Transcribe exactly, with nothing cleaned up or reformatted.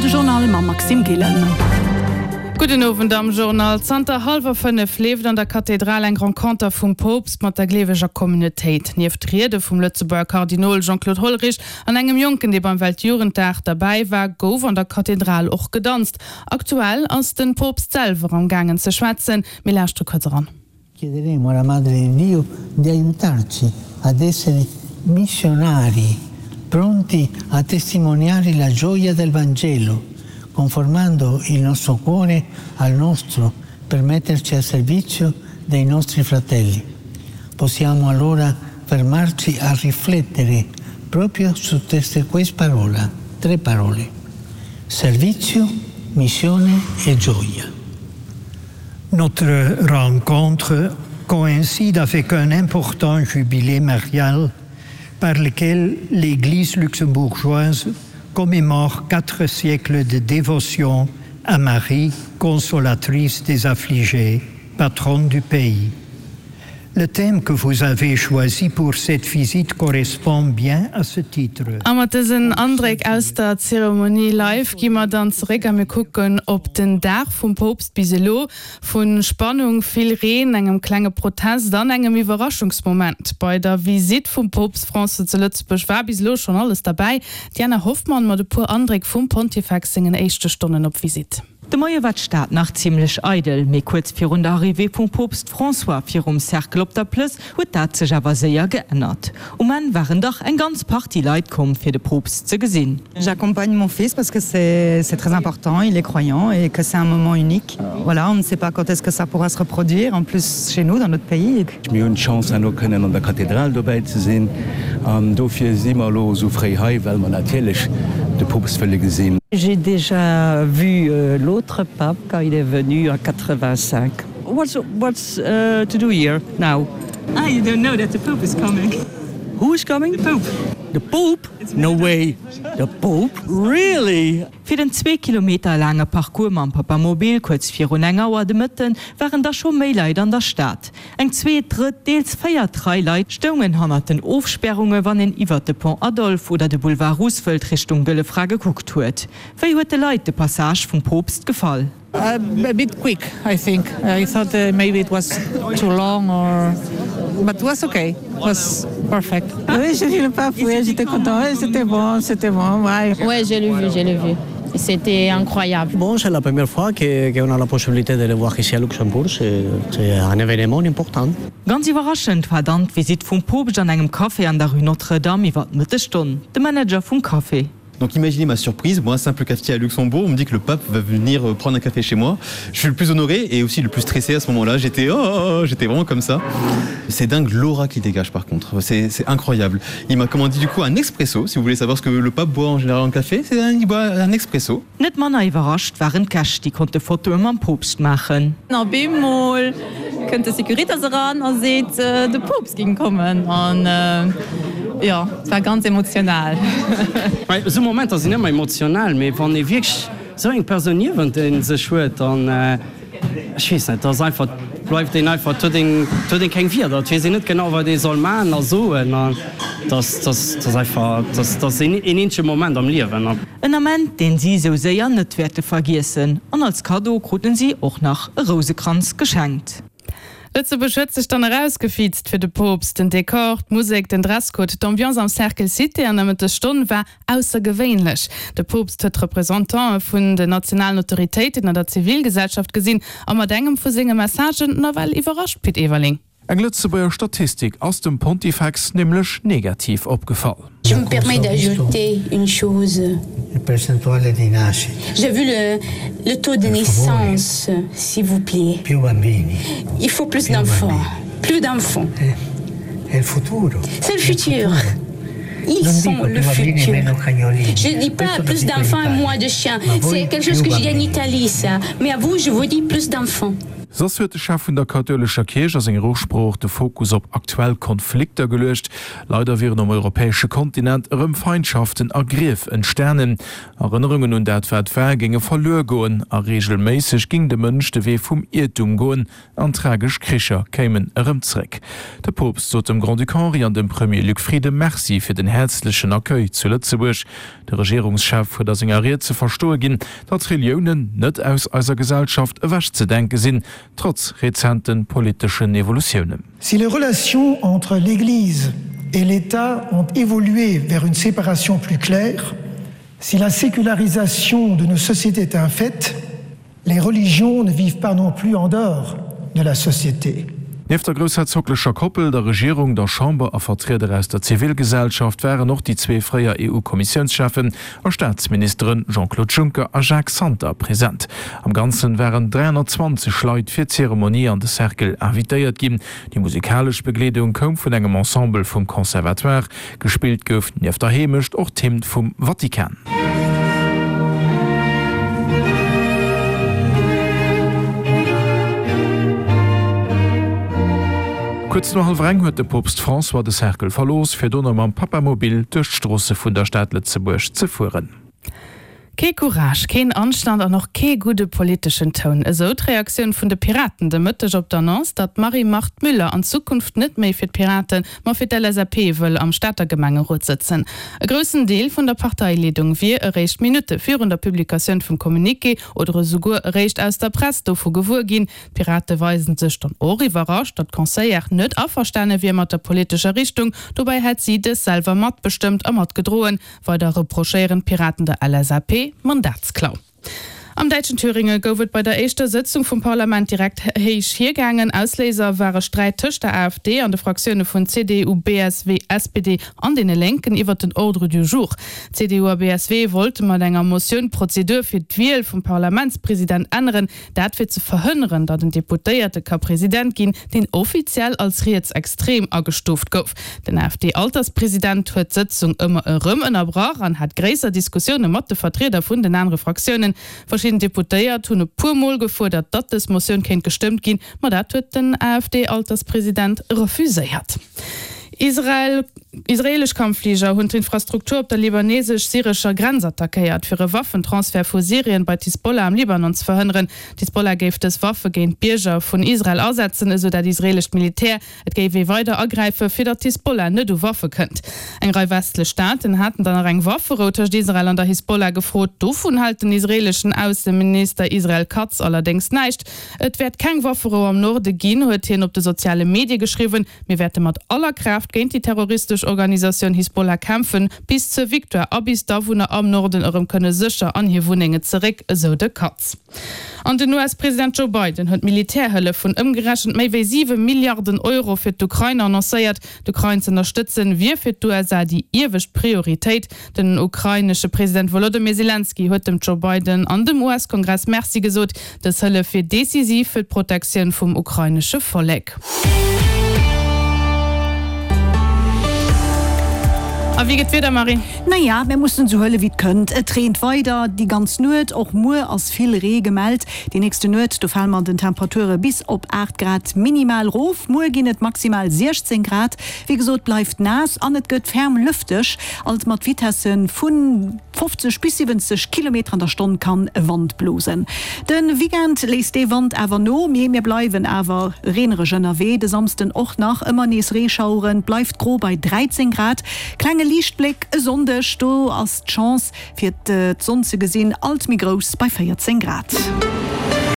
de Journal mam Maxime Gillen. Gudden Owend am Journal. Zanter hallwer fënnef leeft an der Kathedral eng Renconter vum Poopst mat der gleeweger Communautéit. Nieft Riede vum Lëtzebuerger Kardinol Jean-Claude Hollerich an engem Jonken, dee beim Weltjugenddag derbäi war, gouf an der Kathedral och gedanzt. Aktuell ass de Poopst selwer am gaangen ze schwätzen. Mir lauschtere kuerz eran. Chiederemo alla Madre di Dio di aiutarci ad essere missionari, pronti a testimoniare la gioia del Vangelo, conformando il nostro cuore al nostro per metterci al servizio dei nostri fratelli. Possiamo allora fermarci a riflettere proprio su queste parola, tre parole: servizio, missione e gioia. Notre rencontre coïncide avec un important jubilé marial par lequel l'Église luxembourgeoise commémore quatre siècles de dévotion à Marie, consolatrice des affligés, patronne du pays. Le thème que vous avez choisi pour cette visite correspond bien à ce titre. A mat dësen Andréck aus der Zeremonie live gi mer dann zeréck a mir kucken op den Dag vum Poopst bis elo. Vu Spannung, vill Reen, engem klenge Protest an engem Iwwerraschungsmoment bei der Visitt vum Poopst François zu Lëtzebuerg war bis elo schonn alles derbäi. D'Diana Hoffmann mat e puer Andréck vum Pontifex sengen éischte Stonnen op Visitt. De Moie war d'Stad nach zimmlech eidel, mee kuerz virun der Arrivée vum Poopst François virum Cercle op der Plëss huet dat sech awer séier geännert. Um Enn waren dach eng ganz Partie Leit komm fir de Poopst ze gesinn. J'accompagne mon fils parce que c'est c'est très important, il est croyant et que c'est un moment unique. Voilà, on ne sait pas quand est-ce que ça pourra se reproduire, en plus chez nous, dans notre pays. Mir hunn d'Chance herno kënnen an der Kathedral dobäi ze sinn an dofir si mer elo esou fréi hei, well mer natierlech de Poopst wëlle gesinn. J'ai déjà vu euh, l'autre pape quand il est venu en quatre-vingt-cinq. What's, what's uh, to do here now? Ah, you don't know that the Pope is coming. Who is coming? The Pope. The Pope? No way. The Pope? Really? Fir den zwee Kilometer laange Parcours mam Papamobil kuerz virun eng Auer de Mëtten waren da scho méi Leit an der Stad. Eng zweet, drëtt, deels véiert Rei Leit stoungen hannert den Ofspärunge wann een iwwert de Pont Adolphe oder de Boulevard Roosevelt Richtung Gëlle Fra gekuckt huet. Wéi huet de Leit de Passage vum Poopst gefall? A bit quick, I think. I thought uh, maybe it was too long or but it was okay. It was perfect. Oui, j'ai vu le pape, oui, j'étais content. C'était bon, c'était bon. Ouais, ouais j'ai le vu, j'ai le vu. C'était incroyable. Bon, c'est la première fois que, qu'on a la possibilité de le voir ici à Luxembourg. C'est, c'est un événement important. Ganz iwwerraschend war dann d'Visitt vum Poopst an engem Café an der Rue Notre-Dame iwwer d'Mëttesstonn. De Manager vum Café. Donc imaginez ma surprise, moi, simple cafetier à Luxembourg, on me dit que le pape va venir euh, prendre un café chez moi. Je suis le plus honoré et aussi le plus stressé à ce moment-là. J'étais oh, oh, oh j'étais vraiment comme ça. C'est dingue l'aura qu'il dégage par contre. C'est incroyable. Il m'a commandé du coup un expresso. Si vous voulez savoir ce que le pape boit en général en café, c'est un, il boit un expresso. Net manner iwwerrascht waren d'Gäscht, déi konnte Fotoe mam Poopst maachen. An op eemol kënnt de Securitas eran a seet, de Poopst géing kommen. An jo, et war ganz emotional. Esou Momenter sinn ëmmer emotional, mee wann ee wierklech esou eng Persoun niewent ee sech huet, dann, ech weess net, dat ass einfach, bleift een einfach, et huet een, et huet een keng Wierder, et weess een net genau, wat ee soll maachen a soen. An dat, dat, dat ass einfach, dat, dat ass een eenzege Moment am Liewen. En Ament, deen si esou séier net wäerte vergiessen. An als Kaddo kruten si och nach e Rousekranz geschenkt. Lëtzebuerg huet sech dann erausgefiizt fir de Poopst. Den Dekor, d'Musek, den Dresscode, d'Ambiance am Cercle Cité an der Mëttesstonn war aussergewéinlech. De Poopst huet d'Representantë vun den nationalen Autoritéiten an der Zivilgesellschaft gesinn a mat engem vu senge Messagen nawell iwwerrascht, Pit Everling. Eng Lëtzebuerger Statistik ass dem Pontifex nämlech negativ opgefall. Je me permets d'ajouter une chose. J'ai vu le, le taux de naissance, s'il vous plaît. Il faut plus d'enfants. Plus d'enfants. C'est le futur. Ils sont le futur. Je dis pas plus d'enfants et moins de chiens. C'est quelque chose que j'ai dit en Italie, ça. Mais à vous, je vous dis plus d'enfants. Soss huet de Chef vun der kathoulescher Kierch a senger Usprooch de Fokus op aktuell Konflikter geluecht. Leider wieren um europäesche Kontinent erëm Feindschaften a Grief entstanen. Erënnerungen un dat wat war géinge verluer goen a reegelméisseg géing de Mënsch de Wee vum Iertum goen an tragesch Kricher kéimen erëm zréck. De Poopst sot dem Grand-Duc Henri an dem Premier Luc Frieden Merci fir den häerzlechen Accueil zu Lëtzebuerg. De Regierungschef huet a senger Ried ze verstoe ginn, datt Reliounen net aus eiser Gesellschaft ewechzedenke sinn, trotz rezente politeschen Evolutiounen. Si les relations entre l'Église et l'État ont évolué vers une séparation plus claire, si la sécularisation de nos sociétés est un fait, les religions ne vivent pas non plus en dehors de la société. Nieft der groussherzoglecher Koppel, der Regierung, der Chamber a Vertrieder aus der Zivilgesellschaft waren och déi zwee fréier EU-Kommissiounscheffen a Staatsministeren Jean-Claude Juncker a Jacques Santer present. Am Ganzen waren dräihonnertzwanzeg Leit fir d'Zeremonie an de Cercle invitéiert ginn. Déi musikalesch Begleedung koum vun engem Ensemble vum Conservatoire. Gespillt gouf nieft der Heemecht och d'Hymn vum Vatikan. Kuerz no hallwer eng huet de Poopst François de Cercle verlooss, fir dono mam Papamobil duerch d'Stroosse vun der Stad Lëtzebuerg ze fueren. Kee Courage, keen Anstand an och kee gudde politeschen Toun, esou d'Reaktioun vun de Piraten de Mëtteg op d'Annonce, datt d'Marie-Marthe Müller an Zukunft net méi fir d'Piraten, ma fir d'LSAP wëll am Stater Gemengerot sëtzen. E groussen Deel vun der Parteileedung wier eréischt Minutte virun der Publikatioun vum Communiqué oder esouguer eréischt aus der Press dovu gewuer ginn. D'Pirate weisen sech dann och iwwerrascht, datt d'Conseillère net averstane wier mat der politescher Richtung. Dobäi hätt si dës selwer matbestëmmt a matgedroen. Weider reprochéieren d'Piraten der LSAP Mandatsklau. Am däitschen Thüringe gouf et bei der éischter Sëtzung vum Parlament direkt héich hiergaangen. Ausléiser war e Sträit tëscht der AfD an de Fraktioune vun C D U, B S W, S P D an deene Lénken iwwer den Ordre du jour. C D U a B S W wollte mat enger Motioun d'Prozedur fir d'Wiel vum Parlamentspresident änneren, dat fir ze verhënneren, datt en Deputéierte ka President ginn, deen offiziell als rietsextrem agestuuft gouf. Den A F D-Alterspresident huet d'Sëtzung ëmmer erëm ënnerbrach an hat gréisser Diskussioune mat de Vertrieder vun den anere Fraktiounen. Verschidden Deputéiert hunn e puer Mol gefuerdert, datt dës Motioun kéint gestëmmt ginn, ma dat huet den A F D-Alterspresident refuséiert. Israel, Israeelesch Kampffliger hunn d'Infrastruktur op der libanesesch-syrescher Grenz attackéiert, fir e Waffentransfert vu Syrien bei d'Hisbollah am Libanon ze verhënneren. D'Hisbollah géif dës Waffe géint d'Bierger vun Israel asetzen, esou dat israeelescht Militär. Et géif ee weider agräifen, fir datt d'Hisbollah net u Waffe kënnt. Eng Rei westlech Staaten haten dann nach eng Wafferou tëscht Israel an der Hisbollah gefrot. Dovun hält den israeeleschen Ausseminister Israel Katz allerdéngs näischt. Et wäert keng Wafferou am Norde ginn, huet hien op de soziale Medie geschriwwen. Mir wäerte mat aller Kraaft géint déi terroristesch Organisatioun Hisbollah kämpfen, bis zur Victoire a bis d'Awunner am Norden erëm kënne sécher an hir Wunnenge zeréck, esou de Katz. An den U S-President Joe Biden huet Militärhëllef vun ëmgerechent méi wéi siwe Milliarden Euro fir d'Ukrain annoncéiert. D'Ukrain z'ënnerstëtzen, wier fir d'U S A déi iewescht Prioritéit. Den ukrainesche President Wolodymyr Selenskyj huet dem Joe Biden an dem U S-Kongress Merci gesot. Dës Hëllef wier decisiv fir d'Protektioun vum ukrainesche Vollek. A wéi geet d'Wieder, Marie? Naja, mir mussen sou huele wéi et kënnt. Et reent weider déi ganz Nuet, och muer ass vill Ree gemellt. Déi nächste Nuet, do fale mer an den Temperature bis op aacht Grad minimal rof. Muer ginn et maximal siechzéng Grad. Wéi gesot, bleift naass an et gëtt ferm lëfteg, alt mat Vitesse vu fofzeg bis siwwenzeg Kilometer an der Stonn kann e Wand blosen. De Weekend léisst dee Wand awer no, mee mir bleiwen awer reenereg ënnerwee. De Samsden och nach ëmmer nees Reeschaueren, et bleift gro bei dräizéng Grad. Klenge Liichtbléck e Sonndeg, do ass d'Chance fir d'Sonn ze gesinn alt méi grouss bei véierzéng Grad.